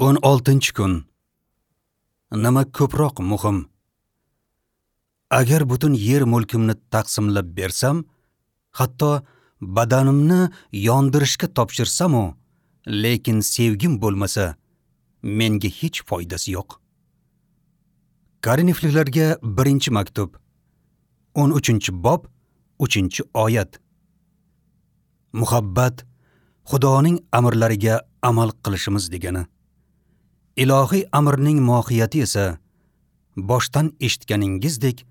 16-kun. Nima ko'proq muhim? Agar butun yer mulkimni taqsimlab bersam, hatto badanimni yondirishga topshirsam-u, lekin sevgim bo'lmasa, menga hech foydasi yo'q. Korinfliklarga 1-maktub, 13-bob, 3-oyat. Muhabbat Xudoning amrlariga amal qilishimiz degani. Ilohiy amrning mohiyati esa boshdan eshitganingizdek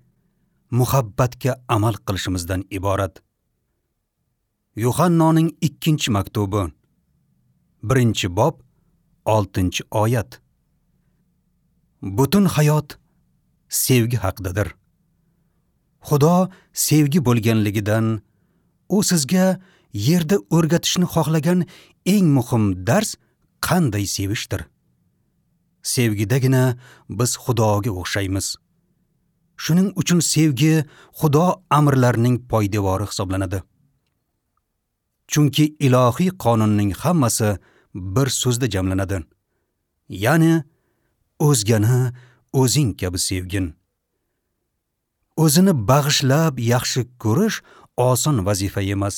muhabbatga amal qilishimizdan iborat. Yuhannoning 2-maktubi, 1-bob, 6-oyat. Butun hayot sevgi haqidadir. Xudo sevgi bo'lganligidan u sizga yerda o'rgatishni xohlagan eng muhim dars qanday sevishdir. Sevgidagina biz Xudoga o'xshaymiz. Shuning uchun sevgi Xudo amrlarining poydevori hisoblanadi. Chunki ilohiy qonunning hammasi bir so'zda jamlanadi. Ya'ni o'zgani o'zing kabi sevgin. O'zini bag'ishlab yaxshi ko'rish oson vazifa emas.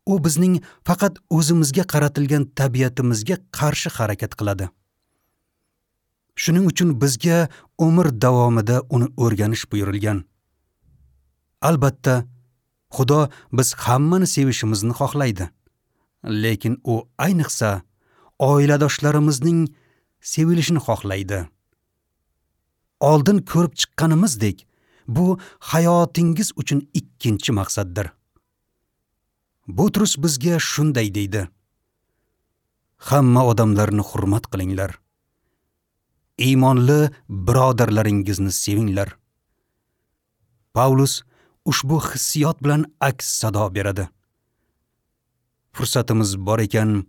U bizning faqat o'zimizga qaratilgan tabiatimizga qarshi harakat qiladi. Shuning uchun bizga umr davomida uni o'rganish buyurilgan. Albatta, Xudo biz hammani sevishimizni xohlaydi. Lekin u ayniqsa oiladoshlarimizning sevilishini xohlaydi. Oldin ko'rib chiqqanimizdek, bu hayotingiz uchun ikkinchi maqsaddir. Butrus bizga shunday deydi: Hamma odamlarni hurmat qilinglar. Iymonli birodarlaringizni sevinglar. Pavlus ushbu hissiyot bilan aks sado beradi. Fursatimiz bor ekan,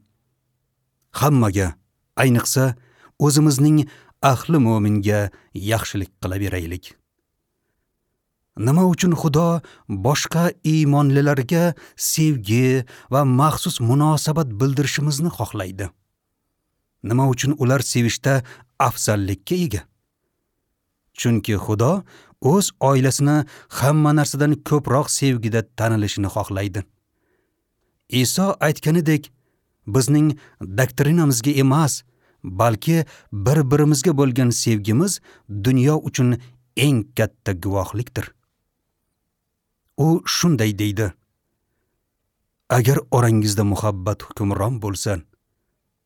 hammaga, ayniqsa o'zimizning ahli mo'minga yaxshilik qilaveraylik. Nima uchun Xudo boshqa iymonlilarga sevgi va maxsus munosabat bildirishimizni xohlaydi? Nima uchun ular sevishda afzallikka ega? Chunki Xudo o'z oilasini hamma narsadan ko'proq sevgida tanilishini xohlaydi. Iso aytganidek, bizning doktrinamizga emas, balki bir-birimizga bo'lgan sevgimiz dunyo uchun eng katta guvohlikdir. U shunday deydi: Agar orangizda muhabbat hukmron bo'lsa,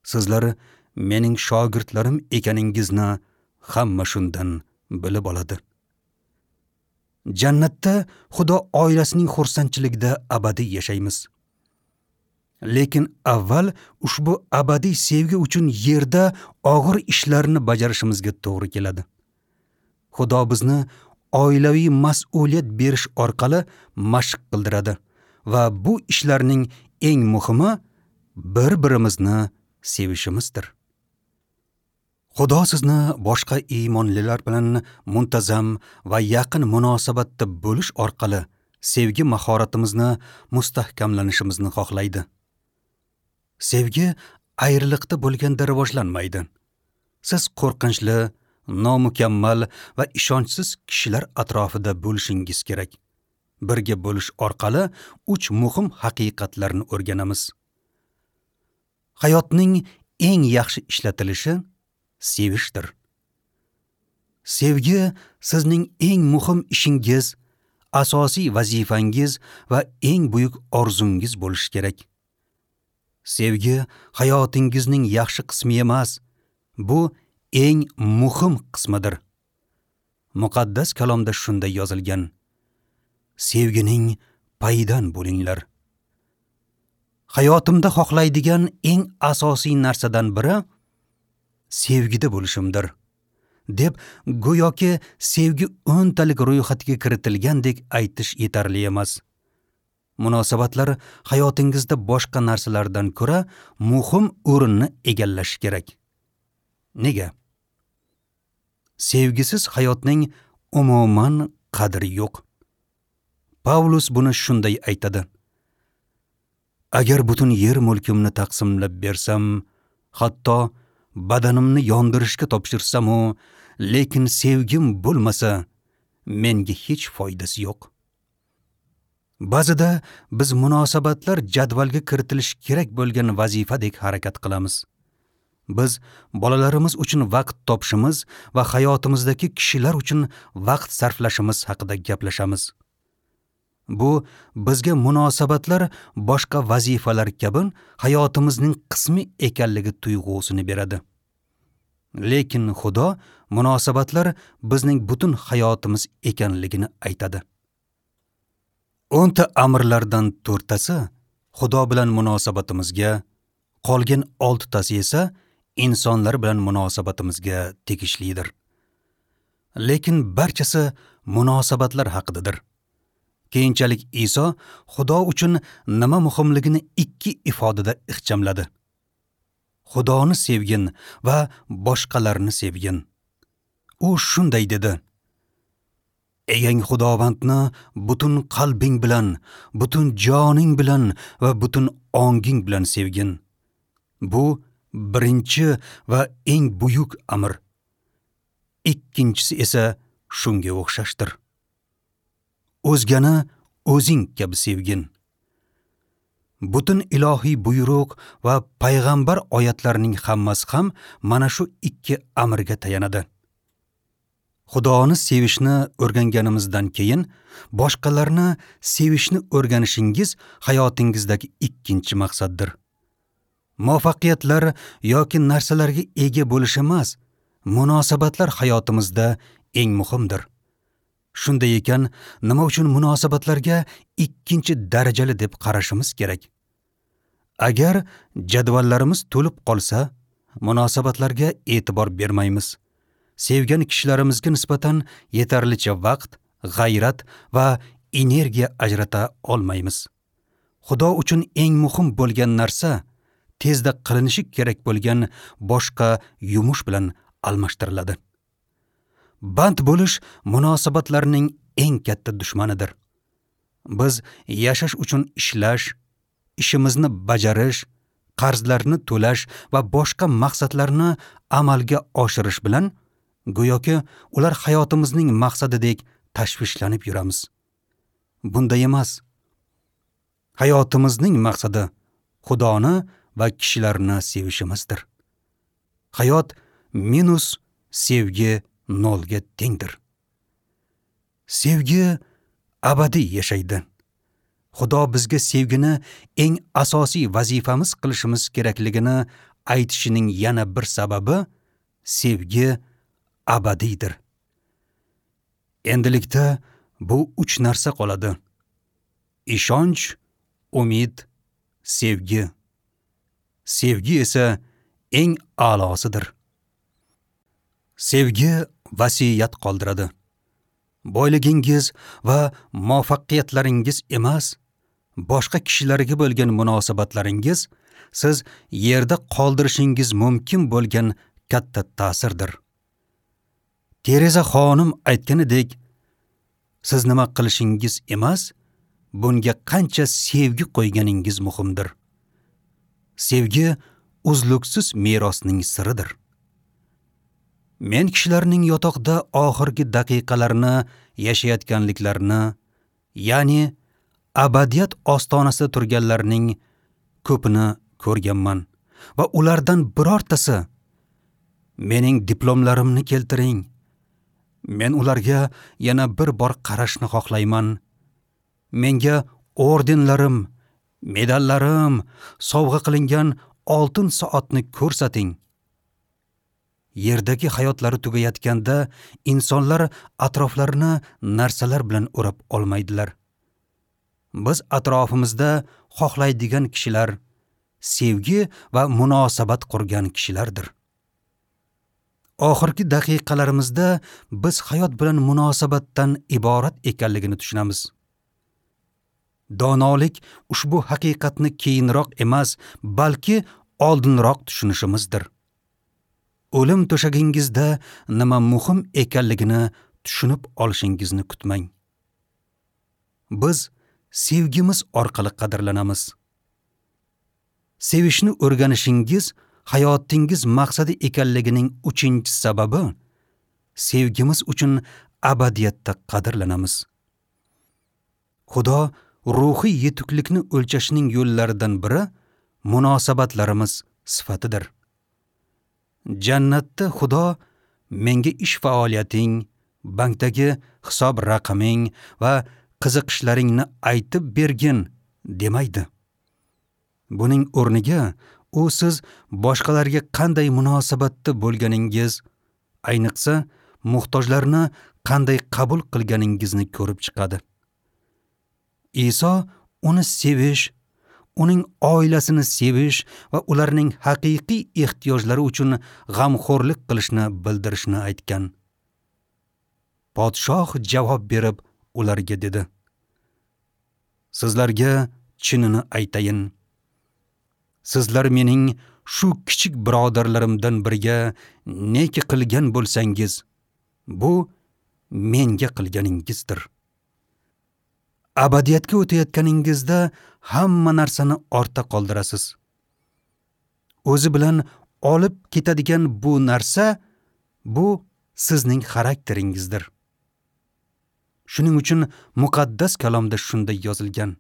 sizlar mening shogirdlarim ekaningizni hamma shundan bilib oladi. Jannatda Xudo oilasining xursandchiligida abadiy yashaymiz. Lekin avval ushbu abadiy sevgi uchun yerda og'ir ishlarni bajarishimizga to'g'ri keladi. Xudo bizni oilaviy mas'uliyat berish orqali mashq qildiradi va bu ishlarning eng muhimi bir-birimizni sevishimizdir. Xudo sizni boshqa iymonlilar bilan muntazam va yaqin munosabatda bo'lish orqali sevgi mahoratimizni mustahkamlanishimizni xohlaydi. Sevgi ayriliqda bo'lganda rivojlanmaydi. Siz qo'rqinchli, nomukammal va ishonchsiz kishilar atrofida bo'lishingiz kerak. Birga bo'lish orqali 3 muhim haqiqatlarni o'rganamiz. Hayotning eng yaxshi ishlatilishi sevishdir. Sevgi sizning eng muhim ishingiz, asosiy vazifangiz va eng buyuk orzungiz bo'lishi kerak. Sevgi hayotingizning yaxshi qismi emas, bu eng muhim qismidir. Muqaddas kalomda shunday yozilgan: Sevgining payidan bo'linglar. Hayotimda xohlaydigan eng asosiy narsadan biri sevgida bo'lishimdir, deb go'yoki sevgi o'ntalik ro'yxatga kiritilgandek aytish yetarli emas. Munosabatlar hayotingizda boshqa narsalardan ko'ra muhim o'rinni egallashi kerak. Nega? Sevgisiz hayotning umuman qadri yo'q. Pavlus buni shunday aytadi: Agar butun yer mulkimni taqsimlab bersam, hatto badanimni yondirishga topshirsam-u, lekin sevgim bo'lmasa, menga hech foydasi yo'q. Ba'zida biz munosabatlar jadvalga kiritilishi kerak bo'lgan vazifadek harakat qilamiz. Biz bolalarimiz uchun vaqt topishimiz va hayotimizdagi kishilar uchun vaqt sarflashimiz haqida gaplashamiz. Bu bizga munosabatlar boshqa vazifalar kabi hayotimizning qismi ekanligi tuyg'usini beradi. Lekin Xudo munosabatlar bizning butun hayotimiz ekanligini aytadi. 10 ta amrlardan 4 tasi Xudo bilan munosabatimizga, qolgan 6 tasi esa insonlar bilan munosabatimizga tegishlidir. Lekin barchasi munosabatlar haqidadir. Keyinchalik Iso Xudo uchun nima muhimligini 2 ifodada ixchamladi. Xudoni sevgin va boshqalarni sevgin. U shunday dedi: Egang Xudovandni butun qalbing bilan, butun joning bilan va butun onging bilan sevgin. Bu birinchi va eng buyuk amr. Ikkinchisi esa shunga o'xshashdir. O'zgani o'zing kabi sevgin. Butun ilohiy buyruq va payg'ambar oyatlarining hammasi ham mana shu 2 amrga tayanadi. Xudoni sevishni o'rganganimizdan keyin boshqalarni sevishni o'rganishingiz hayotingizdagi ikkinchi maqsaddir. Muvaffaqiyatlar yoki narsalarga ega bo'lish emas, munosabatlar hayotimizda eng muhimdir. Shunday ekan, nima uchun munosabatlarga ikkinchi darajali deb qarashimiz kerak? Agar jadvallarimiz to'lib qolsa, munosabatlarga e'tibor bermaymiz. Sevgan kishilarimizga nisbatan yetarlicha vaqt, g'ayrat va energiya ajrata olmaymiz. Xudo uchun eng muhim bo'lgan narsa tezda qilinishi kerak bo'lgan boshqa yumush bilan almashtiriladi. Band bo'lish munosabatlarning eng katta dushmanidir. Biz yashash uchun ishlash, ishimizni bajarish, qarzlarni to'lash va boshqa maqsadlarni amalga oshirish bilan go'yoki ular hayotimizning maqsadidek tashvishlanib yuramiz. Bunday emas. Hayotimizning maqsadi Xudoni va kishilarni sevishimizdir. Hayot minus sevgi nolga tengdir. Sevgi abadiy yashaydi. Xudo bizga sevgini eng asosiy vazifamiz qilishimiz kerakligini aytishining yana bir sababi sevgi abadiydir. Endilikda bu 3 narsa qoladi: ishonch, umid, sevgi. Sevgi esa eng a'losidir. Sevgi vasiyat qoldiradi. Boyligingiz va muvaffaqiyatlaringiz emas, boshqa kishilarga bo'lgan munosabatlaringiz siz yerda qoldirishingiz mumkin bo'lgan katta ta'sirdir. Tereza xonim aytganidek, siz nima qilishingiz emas, bunga qancha sevgi qo'yganingiz muhimdir. Sevgi uzluksiz merosning siridir. Men kishilarning yotoqda oxirgi daqiqalarini yashayotganliklarini, ya'ni abadiyat ostonasida turganlarning ko'pini ko'rganman va ulardan birortasi mening diplomlarimni keltiring, men ularga yana bir bor qarashni xohlayman, menga ordenlarim, medallarim, sovg'a qilingan oltin soatni ko'rsating. Yerdagi hayotlari tugayotganda insonlar atroflarini narsalar bilan o'rab olmaydilar. Biz atrofimizda xohlaydigan kishilar, sevgi va munosabat qurgan kishilardir. Oxirgi daqiqalarimizda biz hayot bilan munosabatdan iborat ekanligini tushunamiz. Donolik ushbu haqiqatni keyinroq emas, balki oldinroq tushunishimizdir. O'lim to'shagingizda nima muhim ekanligini tushunib olishingizni kutmang. Biz sevgimiz orqali qadrlanamiz. Sevishni o'rganishingiz hayotingiz maqsadi ekanligining 3-sababi sevgimiz uchun abadiyatda qadrlanamiz. Xudo ruhiy yetuklikni o'lchashning yo'llaridan biri munosabatlarimiz sifatidir. Jannatda Xudo menga ish faoliyating, bankdagi hisob raqaming va qiziqishlaringni aytib bergin demaydi. Buning o'rniga u siz boshqalarga qanday munosabatda bo'lganingiz, ayniqsa muhtojlarni qanday qabul qilganingizni ko'rib chiqadi. Iso uni sevish, uning oilasini sevish va ularning haqiqiy ehtiyojlari uchun g'amxo'rlik qilishni bildirishni aytgan. Podshoh javob berib ularga dedi: Sizlarga chinini aytayin. Sizlar mening shu kichik birodarlarimdan biriga neki qilgan bo'lsangiz, bu menga qilganingizdir. Abadiyatga o'tayotganingizda hamma narsani ortda qoldirasiz. O'zi bilan olib ketadigan bu narsa, bu sizning xarakteringizdir. Shuning uchun muqaddas kalomda shunday yozilgan: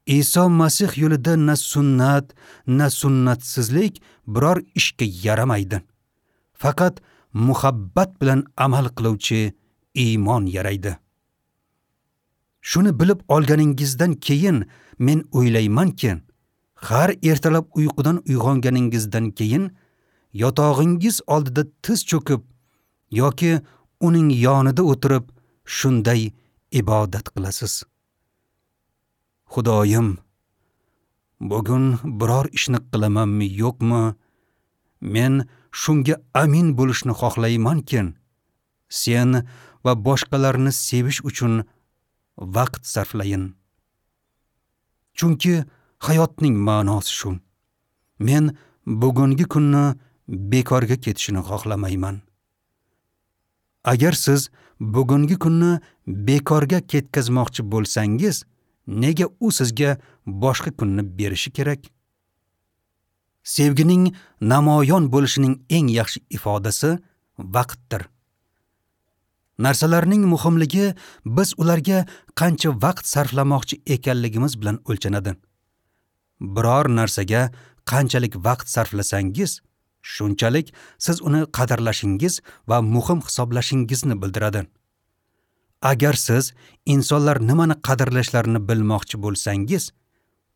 Iso Masih yo'lida na sunnat, na sunnatsizlik biror ishga yaramaydi. Faqat muhabbat bilan amal qiluvchi iymon yaraydi. Shuni bilib olganingizdan keyin men o'ylaymanki, har ertalab uyqudan uyg'onganingizdan keyin yotog'ingiz oldida tiz cho'kib yoki uning yonida o'tirib shunday ibodat qilasiz. Xudoyim, bugun biror ishni qilamanmi yo'qmi? Men shunga amin bo'lishni xohlaymanki, sen va boshqalarni sevish uchun vaqt sarflayin. Chunki hayotning ma'nosi shu. Men bugungi kunni bekorga ketishini xohlamayman. Agar siz bugungi kunni bekorga ketkazmoqchi bo'lsangiz, nega u sizga boshqa kunni berishi kerak? Sevgining namoyon bo'lishining eng yaxshi ifodasi vaqtdir. Narsalarning muhimligi biz ularga qancha vaqt sarflamoqchi ekanligimiz bilan o'lchanadi. Biror narsaga qanchalik vaqt sarflasangiz, shunchalik siz uni qadrlashingiz va muhim hisoblashingizni bildiradi. Agar siz insonlar nimani qadrlashlarini bilmoqchi bo'lsangiz,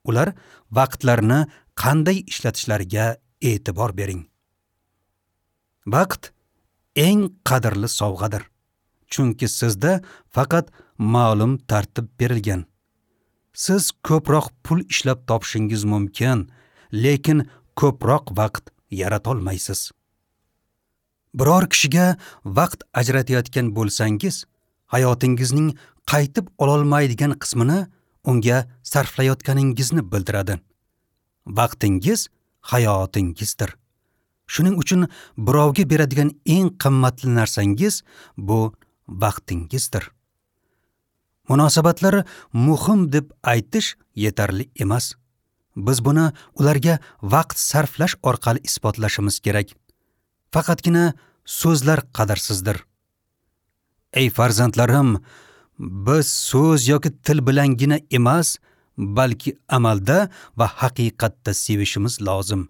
ular vaqtlarini qanday ishlatishlariga e'tibor bering. Vaqt eng qadrli sovg'adir. Chunki sizda faqat ma'lum tartib berilgan. Siz ko'proq pul ishlab topishingiz mumkin, lekin ko'proq vaqt yarata olmaysiz. Biror kishiga vaqt ajratayotgan bo'lsangiz, hayotingizning qaytib ololmaydigan qismini unga sarflayotganingizni bildiradi. Vaqtingiz hayotingizdir. Shuning uchun birovga beradigan eng qimmatli narsangiz bu vaqtingizdir. Munosabatlar muhim deb aytish yetarli emas. Biz buni ularga vaqt sarflash orqali isbotlashimiz kerak. Faqatgina so'zlar qadrsizdir. Ey farzandlarim, biz so'z yoki til bilangina emas, balki amalda va haqiqatda sevishimiz lozim.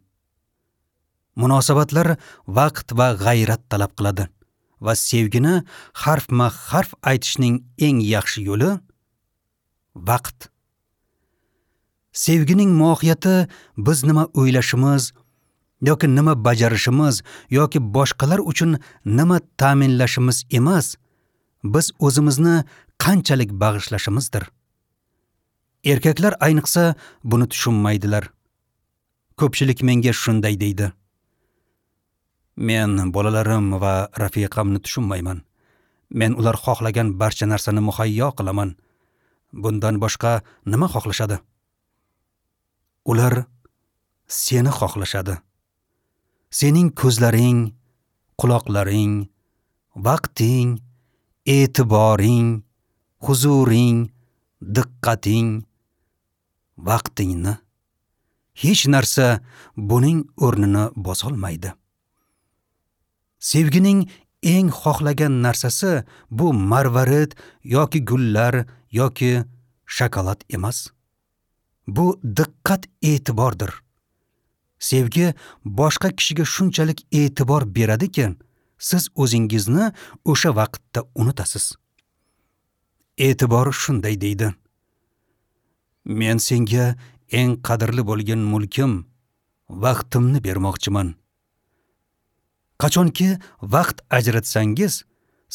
Munosabatlar vaqt va g'ayrat talab qiladi va sevgini harfma-harf aytishning eng yaxshi yo'li vaqt. Sevgining mohiyati biz nima o'ylashimiz yoki nima bajarishimiz yoki boshqalar uchun nima ta'minlashimiz emas, biz o'zimizni qanchalik bag'ishlashimizdir. Erkaklar ayniqsa buni tushunmaydilar. Ko'pchilik menga shunday deydi: Men bolalarim va rafiqamni tushunmayman. Men ular xohlagan barcha narsani muhayyo qilaman. Bundan boshqa nima xohlashadi? Ular seni xohlashadi. Sening ko'zlaring, quloqlaring, vaqting, e'tiboring, huzuring, diqqating, vaqtingni. Hech narsa buning o'rnini bosolmaydi. Sevgining eng xohlagan narsasi bu marvarid yoki gullar yoki shokolad emas. Bu diqqat e'tibordir. Sevgi boshqa kishiga shunchalik e'tibor beradiki, siz o'zingizni o'sha vaqtda unutasiz. E'tibor shunday deydi: Men senga eng qadrli bo'lgan mulkim, vaqtimni bermoqchiman. Qachonki vaqt ajratsangiz,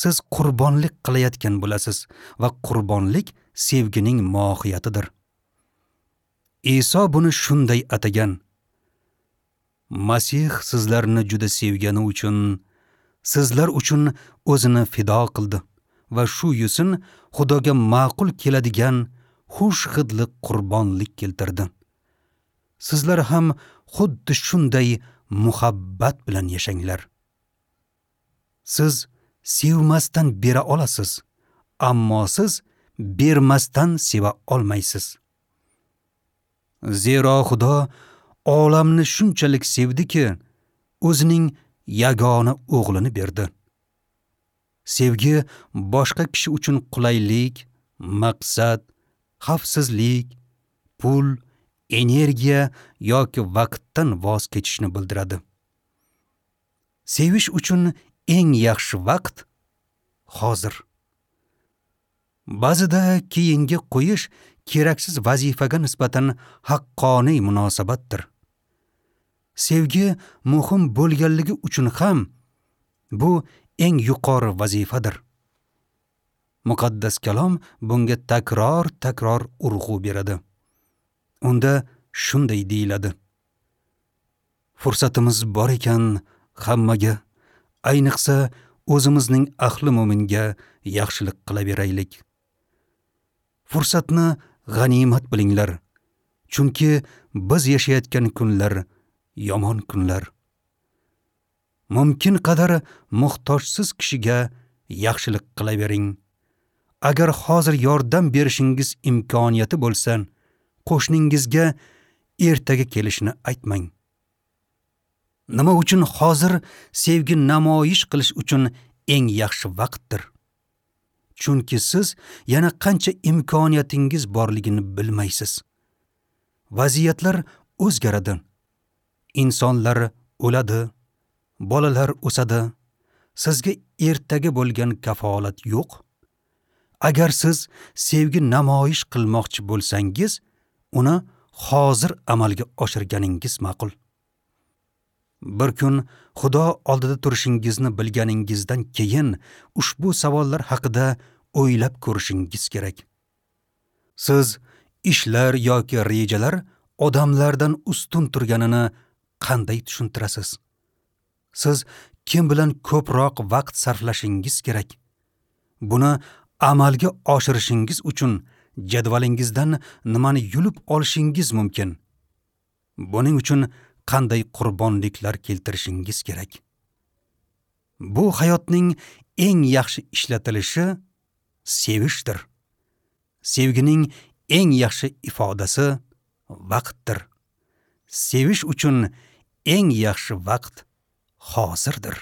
siz qurbonlik qilayotgan bo'lasiz va qurbonlik sevgining mohiyatidir. Iso buni shunday atagan: Masih sizlarni juda sevgani uchun sizlar uchun o'zini fido qildi va shu yusin Xudoga ma'qul keladigan xush hidli qurbonlik keltirdi. Sizlar ham xuddi shunday muhabbat bilan yashanglar. Siz sevmasdan bera olasiz, ammo siz bermasdan seva olmaysiz. Zero Xudo olamni shunchalik sevdiki, o'zining yagona o'g'lini berdi. Sevgi boshqa kishi uchun qulaylik, maqsad, xavfsizlik, pul, energiya yoki vaqtdan voz kechishni bildiradi. Sevish uchun eng yaxshi vaqt hozir. Ba'zida keyinga qo'yish keraksiz vazifaga nisbatan haqqoniy munosabatdir. Sevgi muhim bo'lganligi uchun ham bu eng yuqori vazifadir. Muqaddas kalom bunga takror-takror urg'u beradi. Unda shunday deyiladi: Fursatimiz bor ekan hammaga, ayniqsa o'zimizning ahli mo'minga yaxshilik qilaveraylik. Fursatni g'animat bilinglar, chunki biz yashayotgan kunlar yomon kunlar. Mumkin qadar muhtojsiz kishiga yaxshilik qilavering. Agar hozir yordam berishingiz imkoniyati bo'lsa, qo'shningizga ertaga kelishini aytmang. Nima uchun hozir sevgi namoyish qilish uchun eng yaxshi vaqtdir? Chunki siz yana qancha imkoniyatingiz borligini bilmaysiz. Vaziyatlar o'zgaradi. Insonlar o'ladi, bolalar o'sadi. Sizga ertaga bo'lgan kafolat yo'q. Agar siz sevgi namoyish qilmoqchi bo'lsangiz, uni hozir amalga oshirganingiz ma'qul. Bir kun Xudo oldida turishingizni bilganingizdan keyin ushbu savollar haqida o'ylab ko'rishingiz kerak. Siz ishlar yoki rejalar odamlardan ustun turganini qanday tushuntirasiz? Siz kim bilan ko'proq vaqt sarflashingiz kerak? Buni amalga oshirishingiz uchun jadvalingizdan nimani yulib olishingiz mumkin? Buning uchun qanday qurbonliklar keltirishingiz kerak? Bu hayotning eng yaxshi ishlatilishi sevishdir. Sevgining eng yaxshi ifodasi vaqtdir. Sevish uchun eng yaxshi vaqt hozirdir.